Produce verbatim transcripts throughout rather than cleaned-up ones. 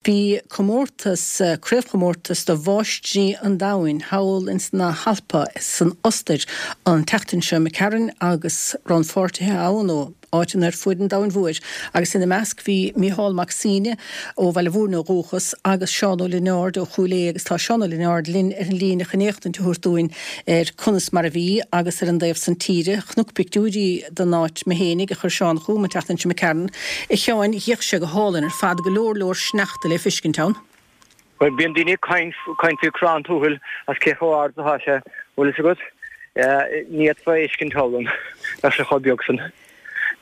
Bhí comórtas, craobhchomórtas do mháistrí an domhain thall ins na hAlpa san Ostair an tseachtain seo imigh tharainn agus rannpháirtithe ann ó áiteanna ar fuaid an domhain mhóir agus ina measc bhí Mícheál Mac Suibhne ó Bhaile Mhúirne ó dhúchas agus Seán Ó Lionáird ó Chúil Aodha agus tá Seán Ó Lionáird linn ar an líne chun éachtaint a thabhairt dúinn ar conas mar a bhí agus ar an dtaobh san tíre. Chonac pictiúirí den áit mé fhéinig a chuir Seán chugam an tseachtain seo imigh tharainn. A Sheáin, d'fhéach sé go hálainn ar fad, go leor leor sneachta le feiscint ann. Bhuel, bíonn daoine ag caint, caint faoi Crann Tuathail as cé chomh ard atá sé, bhfuil fhios agat? Ní fhéadfá é a fheiscint thall ann, bheadh sé chomh beag san.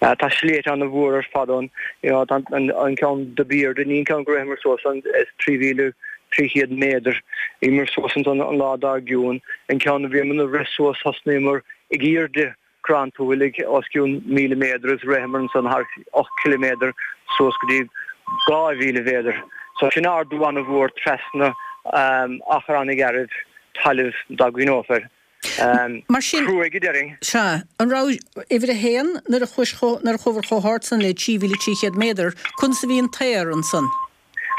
Tá sléibhte an-mhór ar fad ann, you know, tá an, an ceann dob airde, ní an ceann go ritheamar suas ann, is trí mhíle trí chéad méadar, bhíomar suas ansan an lá dár gcionn, an ceann a bhíomar ag rith suas thosnaíomar ag airde Crann Tuathail ag os cionn míle méadar agus ritheamar ansan thar ocht ciliméadar suas go dtí dhá mhíle mhéadar. So sin ardú an-mhór trasna achar an-ghairid talaimh dá gcuimhneofar. Mar sin. Cruaidh a déarfainn. Sea. An raibh uimhir a haon nuair a chuais chomh, nuair a chuabhair chomh hard san le trí mhíle trí chéad méadar, conas a bhí an t-aer ansan?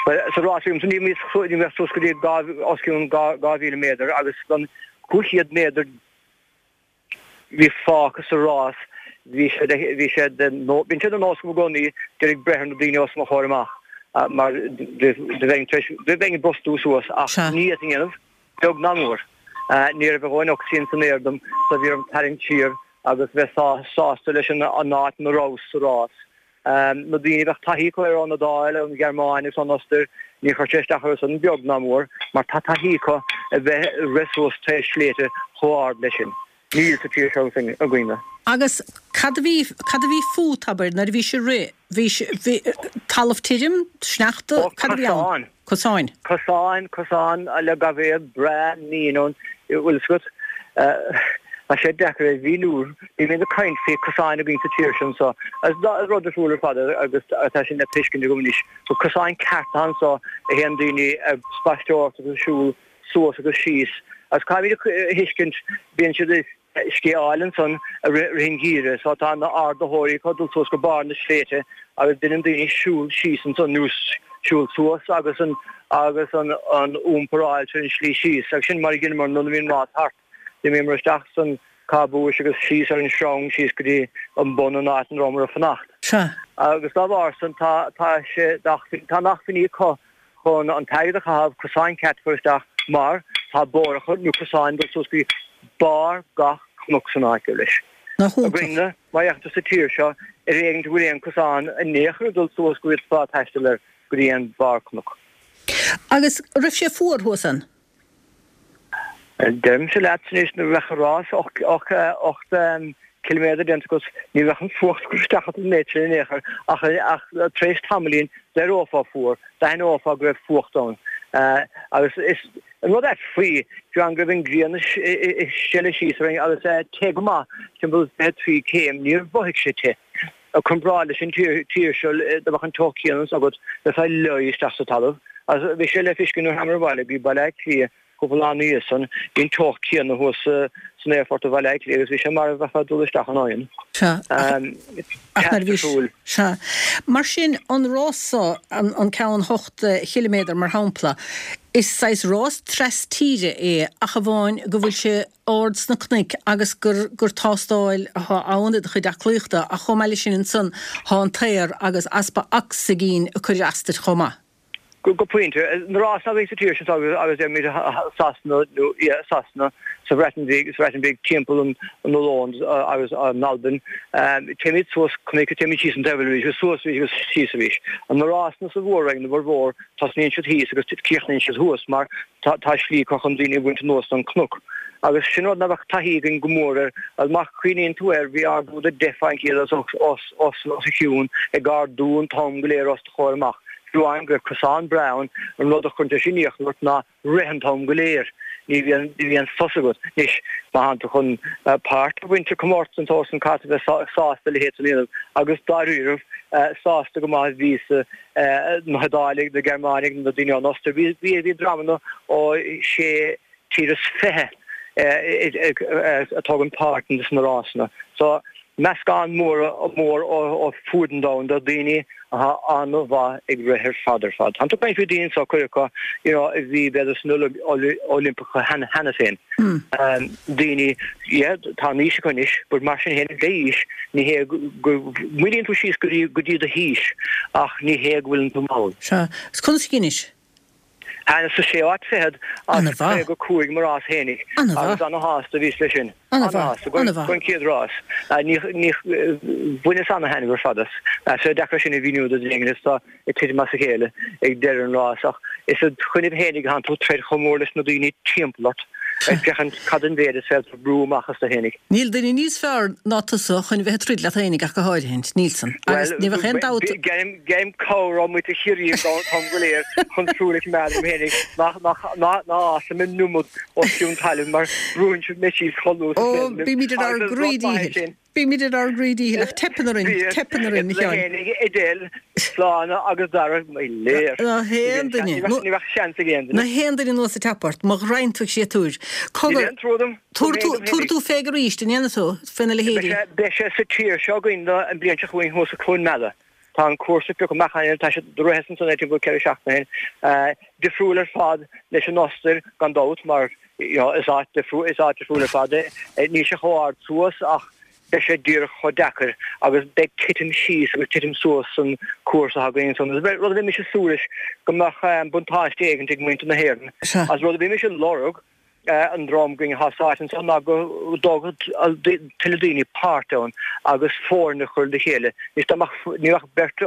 Bhuel, sa rás bhí ní bheadh suas go dtí dhá, os cionn dhá, dhá mhíle méadar agus an cúig chéad méadar bhí fágtha sa rás, bhí sé bhí sé de bíonn sé de nós agam i gcónaí d'iarraidh breith ar na daoine os mo chomhair amach mar do bheinn tar éis do bheinn ag brostú suas ach ní fhéadfainn a dhéanamh, beag ná mór. Ní raibh a dhóthain ocsaigin san aer dom so bhí orm tarraingt siar agus bheith sásta leis an áit ina rabhas sa rás. Na daoine a bheadh taithí acu air ón Iodáil, ón Ghearmáin agus ón Ostair, ní chuir sé isteach orthu san beag ná mór mar tá taithí acu a bheith ag rith suas taobh sléibhte chomh hard leis sin. Níl sa tír seo againne. Agus cad a bhí, cad a bhí fút, abair, nuair a bhís ag rith? Bhí, bhí, talamh tirim, sneachta, Ó, cad a bhí ann? cosáin. Cosáin. Cosáin, cosáin le gairbhéal breá mín ann, bhfuil fhios agat, tá sé deacair a mhíniú. Bímid ag caint faoi cosáin againn sa tír seo anseo. Is rud difriúil ar fad agus tá sin le tuiscint agam anois. Gur cosáin cearta anseo a théann daoine ag spaisteoireacht agus ag siúl suas agus síos agus caithfimid a thuiscint, bíonn siad ag sciáil ansan i rith an gheimhridh so tá na ardaitheoirí acu ag dul suas go barr na sléibhte agus deineann daoine siúl síos ansan nó siúl suas agus an agus an an iompar a fháil ar an slí síos agus sin mar a dheineamar nuair a bhí an rás thart. D'imíomar isteach san cábúis agus síos ar an sreang síos go dtí an bun an áit ina rabhamar ag fanacht. Sea. Agus dá bharr san tá tá sé tá na hacmhainní acu chun an t-airgead a chaitheamh, cosáin ceart a chur isteach mar tá bóithreacha nó cosáin ag dul suas go dtí barr gach cnoc san áit, dar leis. Nach iontach. Againne, má fhéachann tú sa tír seo, ar éigean go bhfuil aon cosán in aon chor ag dul suas go bhféadfá taisteal air go dtí aon bharr cnoc. Agus raibh sé fuar thuas ann? Deirimse leat anois, nuair a bheadh an rás ocht ciliméadar déanta agat, ní bheadh an fuacht ag cur isteach ort an méid sin in aon chor, ach tar éis tamaillín d'éireofá fuar, d'aithneofá go raibh fuacht ann. Agus is an rud ait faoi, fiú amháin go raibh an ghrian ag sileadh síos orainn agus te go maith, timpeall fiche trí céim, níor mhothaigh sé te. I gcomparáid leis an tír seo, dá mbeadh an teocht chéanna anso agat, bheifeá ag luí isteach sa talamh. Agus bhí sé le feiscint nuair a thángamar abhaile go Baile Átha Cliath cúpla lá ina dhiaidh san, bhí an teocht chéanna thuas san aerfort i Bhaile Átha Cliath agus bhí sé mar a bheifeá ag dul isteach in oigheann. Sea, ach nuair a bhí, sea. Mar sin, an rás seo, an ceann ocht chiliméadar mar shampla, is saghas rás tras-tíre é ach amháin go bhfuil sé ard sna cnoic agus gur gur tástáil atá ann i do chuid aclaíochta ach chomh maith leis sin ansan tá an t-aer agus easpa ocsaigin ag cur as duit chomh maith. Go pointe. Na rásanna againn sa tír seo agus deirimid Sasana nó yeah Sasana, sa Bhreatain Bhig, sa Bhreatain Bhig timpeall an oileáin agus an Albain, téimid suas cnoic agus téimid síos an taobh eile arís agus suas arís agus síos arís. Na rásanna sa mhór-roinn, na bhformhór, tosnaíonn siad thíos agus críochnaíonn siad thuas mar tá tá slí acu chun daoine a bhaint anuas don chnoc. Agus sin rud nach mbeadh taithí againn go mór air. Agus má chuimhníonn tú air, bhí ardú de deich faoin gcéad os os os a chionn ag ardú an t-am go léir os do chomhair amach. Fiú amháin go raibh cosán breá ann, an rud a chuireann sé sin iachall ort ná rith an t-am go léir. Ní bhíonn, ní bhíonn sos agat. Anois, má thánn tú chun páirt a bhaint i comórtas den tsórt san caithfidh tú bheith sásta a leithéid san a dhéanamh. Agus dáiríribh, sásta go maith a bhíos na hIodáiligh, na Gearmáinigh, na daoine ón Ostair, bhí, bhí, bhí dreamanna ó sé tír is fiche ag tógaint páirt sna rásanna. So, meascán mór, mór ó fuaid an domhain de dhaoine atá an-mhaith ag rith ar fad ar fad. Tá tú ag caint faoi daoine anseo cuid acu you know a bhí b'fhéidir sna Oilimpeacha cheana féin. Daoine, yeah, tá an aois acu anois, but mar sin féin d'aois ní hé go moillíonn tú síos go dtí go dtí do haois ach ní hé go bhfuileann tú mall. Sea. Is conas a dheinis? Thángas sa séú háit fichead as caoga cúig mo rás fhéinig agus ana-shásta a bhíos leis sin. Ana-shásta. Don chéad rás. Ní bhaineas ana-thaitneamh ar fad as. Tá sé deacair sin a mhíniú do dhuine éigin atá ag titim as a chéile ag deireadh an rás ach is id choinnibh fhéinig a thánn tú troid chomh mór leis na daoine timpeall ort. Ag féachaint cad an mhéid is féidir brú amach as do fhéinig. Níl duine níos fearr ná tusa chun a bheith ag troid leat fhéinig ach go háirithint, níl san. Agus ní bheadh aon dabht. Gheibhim cabhair ó mhuintir Chiarraí an t-am go léir chun súil a choimeád orm fhéinig nach bhfásaim an iomad os cionn talaimh mar brúann sibh mé síos chomh luath is a féidir. Ó, bímid ar ár gcroí díchill. Bímid ar ár gcroí díchill ach teipeann orainn, teipeann orainn, a Sheáin. Bhí Edel, Sláine agus Dara, mo léir. Ná haon duine. Ní bheadh seans ag aon duine. Ná haon duine anuas ag teip ort, mo ghraidhin tú créatúir. Níl aon trua dom. Tabharfaidh tú féig arís, an ndéanfaidh tú, faoina leithéidí. Beidh sé sa tír seo againn an bhliain seo chugainn thuas i Cluain Meala. Tá an cúrsa pioctha amach againn, tá sé do rith ansan timpeall ceithre seachtaine ó shin. Difriúil ar fad leis an Ostair gan dabht mar you know is áit difriúil is áit difriúil ar fad é. Níl sé chomh ard suas ach beidh sé díreach chomh deacair agus beidh titim síos agus titim suas san cúrsa atá againn ansan. Rud a bhí mise ag súil leis go mbeadh buntáiste éigint ag muintir na hÉireann agus rud a bhí mise ag lorg an dream againn atá sáite ansan ná go dtógfadh tuilleadh daoine páirt ann agus foirne a chur le chéile. Ní bheadh beirt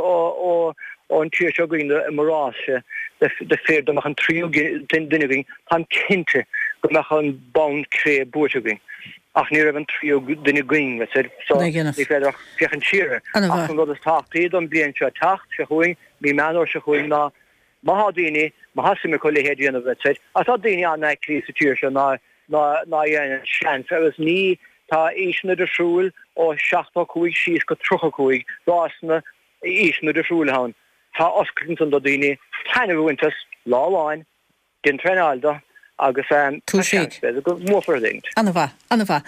ón tír seo againn i mo rás-sa de fir, dá mbeadh an tríú duine againn, táim cinnte go mbeadh an bonn cré buaite againn. Ach ní raibh an tríú duine againn, that's it. So ní féidir ach féachaint siar air. Ach an rud is tábhachtaí don bhliain seo teacht seo chugainn, mí Meán Fhómhair seo chugainn ná má thá daoine, má thá suim acu a leithéid a dhéanamh, that's it. Ach tá daoine an-aclaí sa tír seo ná ná ná dhéanann seans agus ní tá aoiseanna difriúil ó seachtó cúig síos go tríocha cúig, rásanna aoiseanna difriúil ann. Tá oscailt ansan do daoine taitneamh a bhaint as lá amháin. Déan traenáil dó agus tá seans, b'fhéidir, go mbuafar rud éigint. Ana-mhaith, ana-mhaith.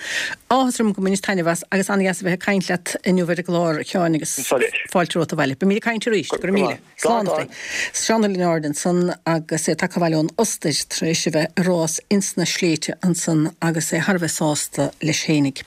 Áthas orm go mbainis taitneamh as agus an-dheas a bheith ag caint leat inniu ar an gclár, a Sheáin, agus fáilte romhat abhaile. Beimid ag caint arís. Go raibh míle. Slán agat. Seán Ó Lionáird ansan agus é tagtha abhaile ón Ostair tar éis a bheith i rás ins na sléibhte ansan agus é thar a bheith sásta leis fhéinig.